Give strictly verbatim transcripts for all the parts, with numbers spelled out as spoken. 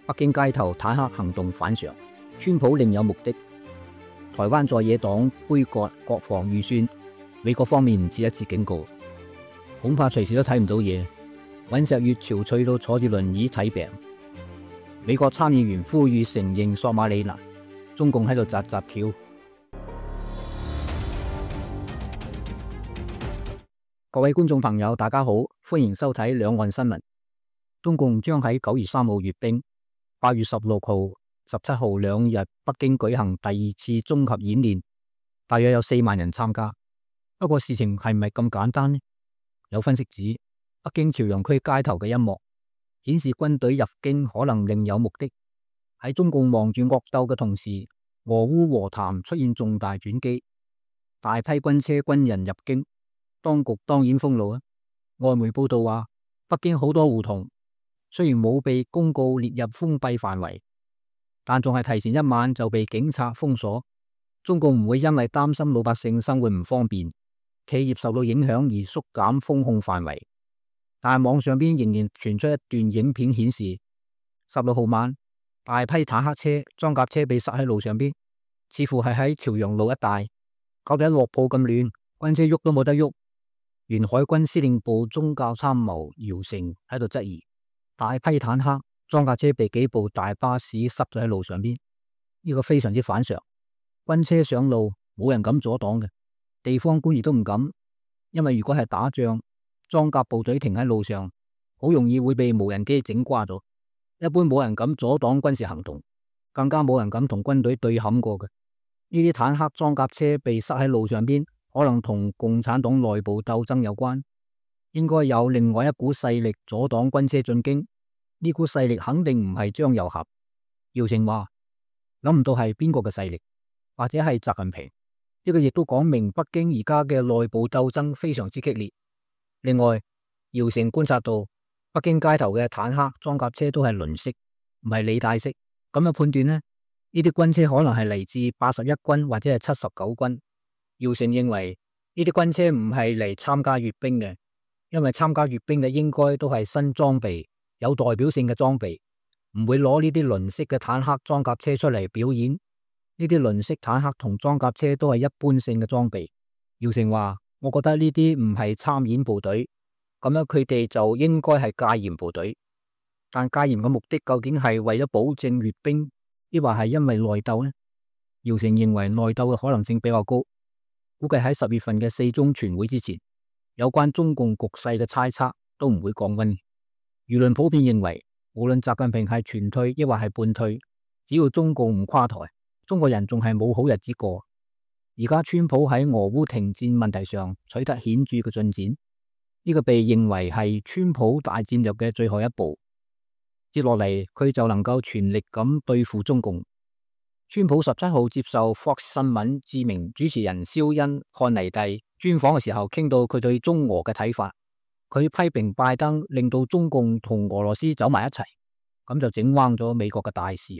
北京街頭坦克行動反常，川普另有目的。台灣在野黨杯葛國防預算，美國方面唔止一次警告，恐怕隨時都睇唔到嘢。尹錫悅憔悴到坐住輪椅睇病。美國參議員呼籲承認索馬里蘭，中共喺度扎扎跳。各位觀眾朋友，大家好，歡迎收睇兩岸新聞。中共將喺九月三號閱兵，八月十六號、十七號兩日北京舉行第二次綜合演練，大約有四萬人參加。不過事情係唔係咁簡單呢？有分析指，北京朝陽區街頭嘅一幕顯示軍隊入京可能另有目的。喺中共忙住惡鬥嘅同時，俄烏和談出現重大轉機，大批軍車軍人入京，當局當然封路啊。外媒報道話，北京好多胡同雖然冇被公告列入封閉範圍，但仲係提前一晚就被警察封鎖。中共唔會因為擔心老百姓生活唔方便，企業受到影響而縮減封控範圍。但係網上邊仍然傳出一段影片顯示，十六號晚大批坦克車、裝甲車被塞喺路上邊，似乎係喺朝陽路一帶，搞到一落鋪咁亂，軍車喐都冇得喐。原海軍司令部宗教參謀姚成喺度質疑，大批坦克、裝甲車被幾部大巴士塞咗喺路上邊，呢個非常之反常。軍車上路冇人敢阻擋嘅，地方官亦都唔敢，因為如果係打仗，裝甲部隊停喺路上，好容易會被無人機整瓜咗。一般冇人敢阻擋軍事行動，更加冇人敢同軍隊對撼過嘅。呢啲坦克、裝甲車被塞喺路上邊，可能同共產黨內部鬥爭有關，應該有另外一股勢力阻擋軍車進京。呢股勢力肯定唔係張又俠。姚成話諗唔到係邊個嘅勢力，或者係習近平。呢個亦都講明北京而家嘅內部鬥爭非常之激烈。另外，姚成觀察到北京街頭嘅坦克、裝甲車都係輪式，唔係履帶式。咁樣判斷呢，呢啲軍車可能係嚟自八十一軍或者係七十九軍。姚成認為呢啲軍車唔係嚟參加閱兵嘅，因為參加閱兵嘅應該都係新裝備、有代表性嘅裝備，唔會攞呢啲輪式嘅坦克、裝甲車出嚟表演。呢啲輪式坦克同裝甲車都係一般性嘅裝備。姚成話，我覺得呢啲唔係參演部隊，咁樣佢哋就應該係戒嚴部隊。但戒嚴嘅目的究竟係為咗保證閱兵，抑或係因為內鬥呢？姚成認為內鬥嘅可能性比較高，估計喺十月份嘅四中全會之前，有關中共局勢嘅猜測都唔會降溫。輿論普遍認為，無論習近平係全退抑或係半退，只要中共唔垮台，中國人仲係冇好日子過。而家川普喺俄烏停戰問題上取得顯著嘅進展，呢個被認為係川普大戰略嘅最後一步。接落嚟佢就能夠全力咁對付中共。川普十七號接受 Fox 新聞知名主持人肖恩漢尼蒂專訪嘅時候，傾到佢對中俄嘅睇法。佢批評拜登令到中共同俄羅斯走埋一齊，咁就整彎咗美國嘅大事。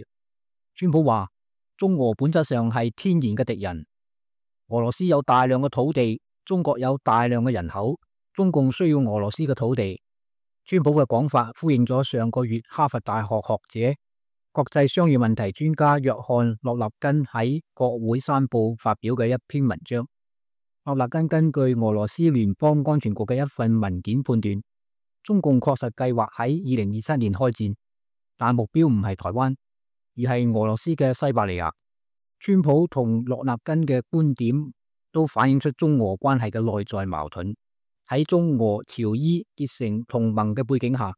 川普話，中俄本質上係天然嘅敵人。俄羅斯有大量嘅土地，中國有大量嘅人口，中共需要俄羅斯嘅土地。川普嘅講法呼應咗上個月哈佛大學學者、國際商業問題專家約翰洛納根喺國會山報發表嘅一篇文章。洛納根根據俄羅斯聯邦安全局嘅一份文件判斷，中共確實計劃喺二零二七年開戰，但目標唔係台灣，而係俄羅斯嘅西伯利亞。川普同洛納根嘅觀點都反映出中俄關係嘅內在矛盾。喺中俄朝伊結成同盟嘅背景下，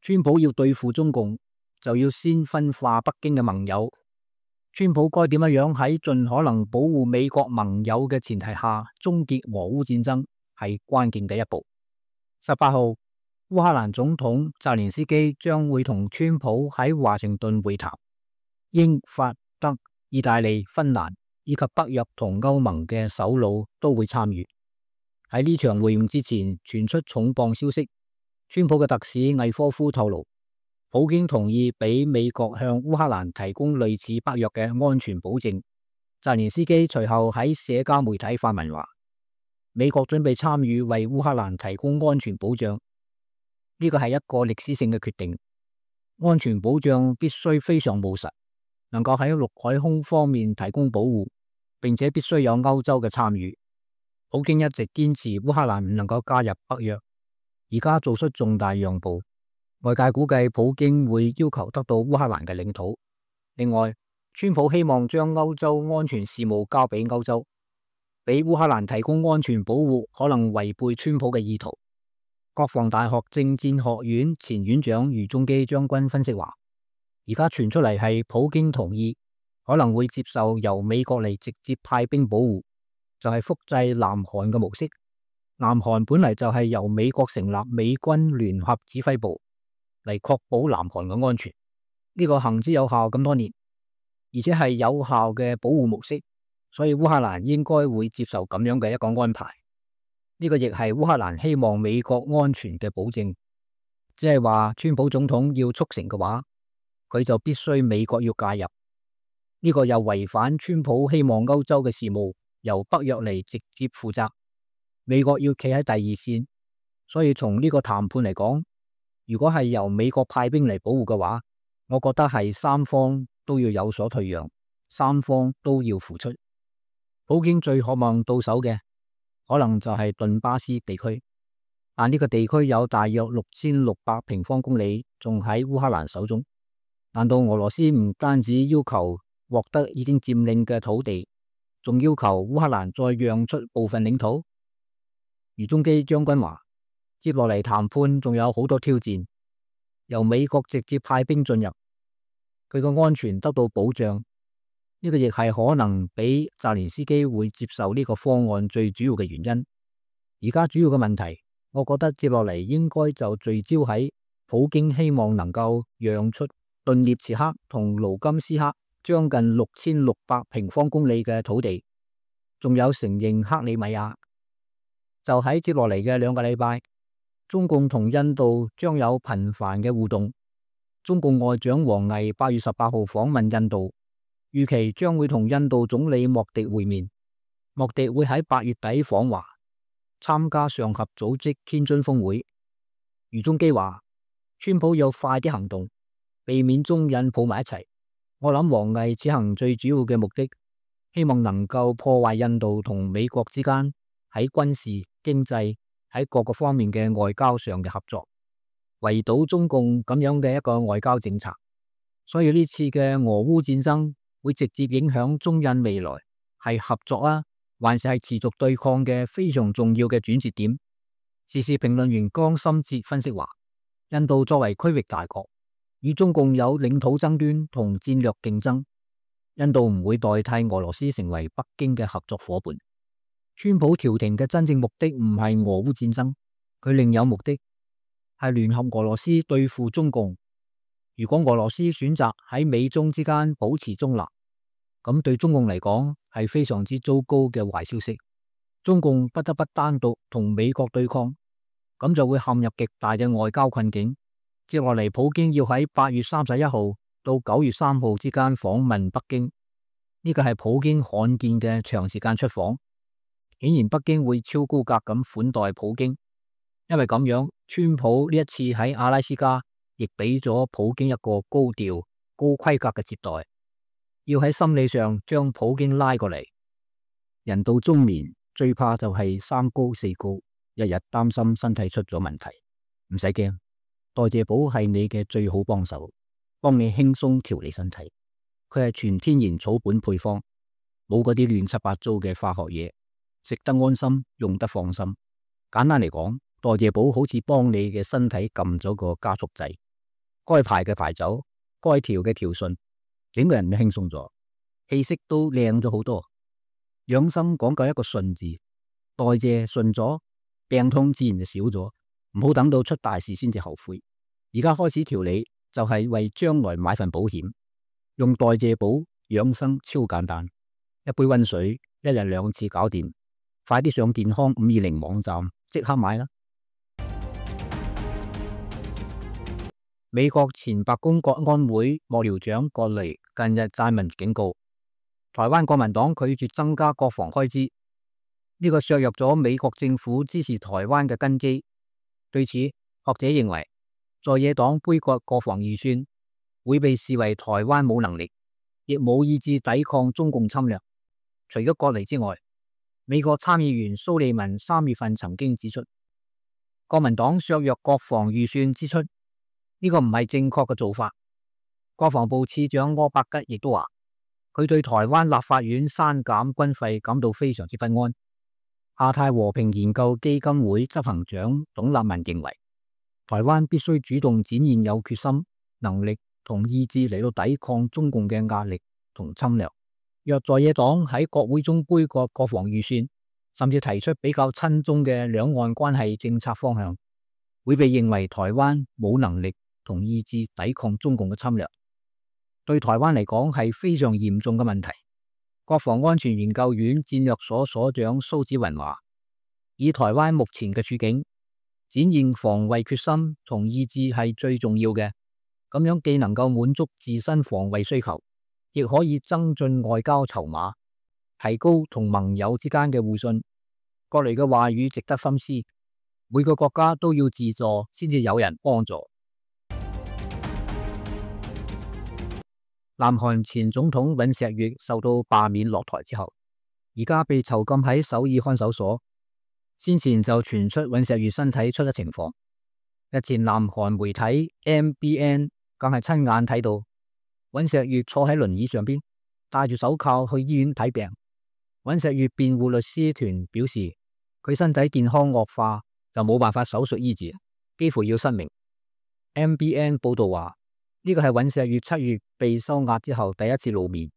川普要對付中共，就要先分化北京嘅盟友。川普該點樣喺盡可能保護美國盟友嘅前提下終結俄烏戰爭，係關鍵嘅一步。十八號，烏克蘭總統澤連斯基將會同川普喺華盛頓會談，英法德意大利、芬蘭以及北約同歐盟嘅首腦都會參與。喺呢場會晤之前，傳出重磅消息，川普嘅特使魏科夫透露，普京同意俾美國向烏克蘭提供類似北約嘅安全保證。澤連斯基隨後喺社交媒體發文話，美國準備參與為烏克蘭提供安全保障，呢個係一個歷史性嘅決定。安全保障必須非常務實，能夠喺陸海空方面提供保護，並且必須有歐洲嘅參與。普京一直堅持烏克蘭唔能夠加入北約，而家做出重大讓步，外界估計普京會要求得到烏克蘭嘅領土。另外，川普希望將歐洲安全事務交俾歐洲，俾烏克蘭提供安全保護，可能違背川普嘅意圖。國防大學政戰學院前院長余宗基將軍分析話，而家傳出嚟係普京同意，可能會接受由美國嚟直接派兵保護，就係複製南韓嘅模式。南韓本嚟就係由美國成立美軍聯合指揮部嚟確保南韓嘅安全，呢個行之有效咁多年，而且係有效嘅保護模式，所以烏克蘭應該會接受咁樣嘅一個安排。呢個亦係烏克蘭希望美國安全嘅保證，即係話川普總統要促成嘅話，佢就必須美國要介入。呢個又違反川普希望歐洲嘅事務由北約嚟直接負責，美國要企喺第二線。所以從呢個談判嚟講，如果係由美國派兵嚟保護嘅話，我覺得係三方都要有所退讓，三方都要付出。普京最渴望到手嘅可能就係頓巴斯地區，但呢個地區有大約六千六百平方公里仲喺烏克蘭手中。難道俄羅斯唔單止要求獲得已經佔領嘅土地，仲要求烏克蘭再讓出部分領土？余宗基將軍話，接落嚟談判仲有好多挑戰，由美國直接派兵進入，佢個安全得到保障。呢個亦係可能俾澤連斯基會接受呢個方案最主要嘅原因。而家主要嘅問題，我覺得接落嚟應該就聚焦喺普京希望能夠讓出頓涅茨克同盧甘斯克將近六千六百平方公里嘅土地，仲有承認克里米亞。就喺接落嚟嘅兩個禮拜，中共同印度將有頻繁嘅互動。中共外長王毅八月十八號訪問印度，預期將會同印度總理莫迪會面。莫迪會喺八月底訪華，參加上合組織天津峰會。余宗基話，川普要快啲行動，避免中印抱埋一齊。我諗王毅此行最主要嘅目的，希望能夠破壞印度同美國之間喺軍事、經濟喺各個方面嘅外交上嘅合作，圍堵中共咁樣嘅一個外交政策。所以呢次嘅俄烏戰爭會直接影響中印未來係合作啊，還是係持續對抗嘅非常重要嘅轉折點。時事評論員江心哲分析話，印度作為區域大國，與中共有領土爭端同戰略競爭，印度唔會代替俄羅斯成為北京嘅合作夥伴。川普調停嘅真正目的唔係俄烏戰爭，佢另有目的，係聯合俄羅斯對付中共。如果俄羅斯選擇喺美中之間保持中立，咁對中共嚟講係非常之糟糕嘅壞消息。中共不得不單獨同美國對抗，咁就會陷入極大嘅外交困境。接落嚟，普京要喺八月三十一號到九月三號之間訪問北京，呢個係普京罕見嘅長時間出訪。顯然北京會超高格咁款待普京，因為咁樣，川普呢一次喺阿拉斯加亦俾咗普京一個高調、高規格嘅接待，要喺心理上將普京拉過嚟。人到中年最怕就係三高四高，日日擔心身體出咗問題。唔使驚，代謝寶係你嘅最好幫手，幫你輕鬆調理身體。佢係全天然草本配方，冇嗰啲亂七八糟嘅化學嘢。食得安心，用得放心。簡單嚟講，代謝寶好似幫你嘅身體撳咗個加速掣，該排嘅排走，該調嘅調順，整個人都輕鬆咗，氣色都靚咗好多。養生講究一個順字，代謝順咗，病痛自然就少咗。唔好等到出大事先至後悔。而家開始調理就係為將來買份保險。用代謝寶養生超簡單，一杯溫水，一日兩次搞掂。快啲上健康五二零網站即刻買啦！美國前白宮國安會幕僚長葛雷近日撰文警告，台灣國民黨拒絕增加國防開支，呢個削弱咗美國政府支持台灣嘅根基。對此，學者認為，在野黨杯葛國防預算會被視為台灣冇能力，亦冇意志抵抗中共侵略。除咗割離之外，美國參議員蘇利文三月份曾經指出，國民黨削弱國防預算支出，呢個唔係正確嘅做法。國防部次長柯伯吉亦都話，佢對台灣立法院刪減軍費感到非常之不安。亞太和平研究基金會執行長董立文認為，台灣必須主動展現有決心、能力同意志嚟到抵抗中共嘅壓力同侵略。若在野黨喺國會中杯葛國防預算，甚至提出比較親中嘅兩岸關係政策方向，會被認為台灣冇能力同意志抵抗中共嘅侵略。對台灣嚟講係非常嚴重嘅問題。國防安全研究院戰略所所長蘇紫雲話，以台灣目前嘅處境，展現防衛決心同意志係最重要嘅，咁樣既能夠滿足自身防衛需求，亦可以增進外交籌碼，提高同盟友之間嘅互信。各類嘅話語值得深思，每個國家都要自助先至有人幫助。南韓前總統尹錫悅受到罷免落台之後，而家被囚禁喺首爾看守所。先前就傳出尹錫悅身體出咗情況。日前南韓媒體 M B N 更係親眼睇到尹錫悅坐喺輪椅上邊，戴住手銬去醫院睇病。尹錫悅辯護律師團表示，佢身體健康惡化就冇辦法手術醫治，幾乎要失明。M B N 報道話，呢個係尹錫悅七月被收押之後第一次露面。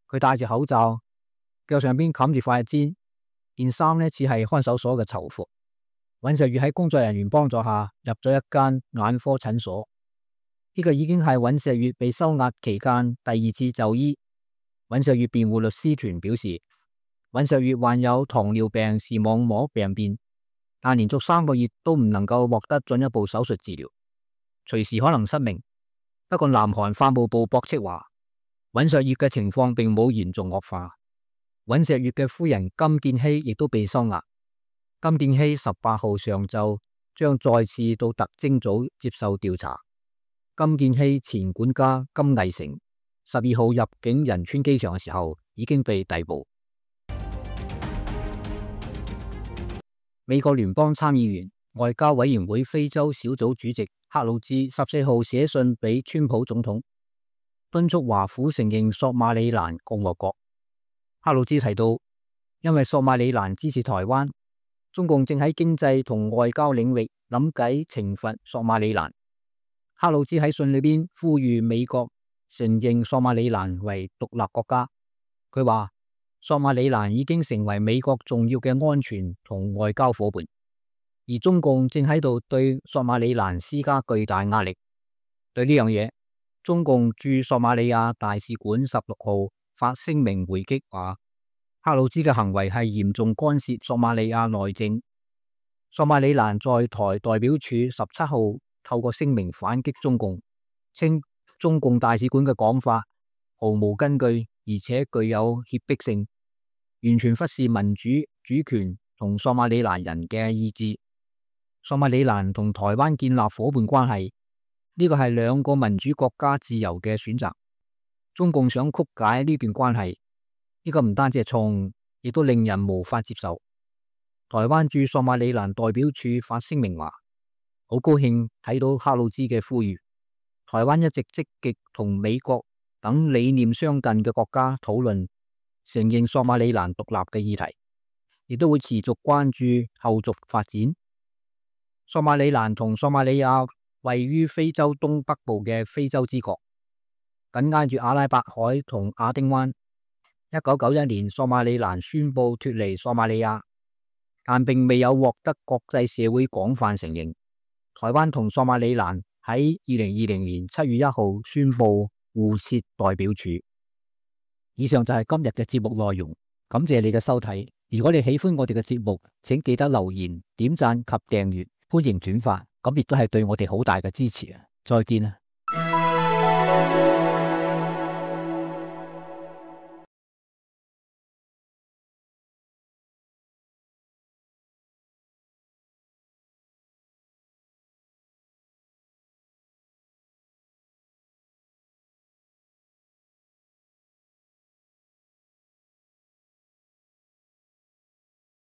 佢戴住口罩，腳上邊冚住塊氈，件衫呢似係看守所嘅囚服。尹錫悅喺工作人員幫助下入咗一間眼科診所。呢個已經係尹錫悅被收押期間第二次就醫。尹錫悅辯護律師團表示，尹錫悅患有糖尿病視網膜病變，但連續三個月都唔能夠獲得進一步手術治療，隨時可能失明。不過南韓法務部駁斥話，尹錫悅嘅情況並冇嚴重惡化。尹錫悅嘅夫人金建希亦都被收押。金建希十八號上晝將再次到特偵組接受調查。金建希前管家金毅成十二號入境仁川機場嘅時候已經被逮捕。美國聯邦參議員外交委員會非洲小組主席克魯茲十四號寫信俾川普總統，敦促華府承認索馬里蘭共和國。克魯茲提到，因為索馬里蘭支持台灣，中共正喺經濟同外交領域諗計懲罰索馬里蘭。克魯茲喺信裏邊呼籲美國承認索馬里蘭為獨立國家。佢話，索馬里蘭已經成為美國重要嘅安全同外交夥伴。而中共正喺度對索馬里蘭施加巨大壓力。對呢樣嘢，中共駐索馬里亞大使館十六號發聲明回擊話，克魯茲嘅行為係嚴重干涉索馬里亞內政。索馬里蘭在台代表處十七號透過聲明反擊中共，稱中共大使館嘅講法毫無根據，而且具有脅迫性，完全忽視民主、主權同索馬里蘭人嘅意志。索馬里蘭同台灣建立夥伴關係，呢個係兩個民主國家自由嘅選擇。中共想曲解呢段關係，呢個唔單止係錯誤，亦都令人無法接受。台灣駐索馬里蘭代表處發聲明話，好高興睇到克魯茲嘅呼籲。台灣一直積極同美國等理念相近嘅國家討論承認索馬里蘭獨立嘅議題，亦都會持續關注後續發展。索馬里蘭同索馬里亞位於非洲東北部嘅非洲之角，緊挨住阿拉伯海同亞丁灣。一九九一年，索馬里蘭宣布脫離索馬里亞，但並未有獲得國際社會廣泛承認。台灣同索馬里蘭喺二零二零年七月一號宣布互設代表處。以上就係今日嘅節目內容，感謝你嘅收睇。如果你喜歡我哋嘅節目，請記得留言、點讚及訂閱。歡迎轉發，咁亦都係對我哋好大嘅支持啊！再見啊！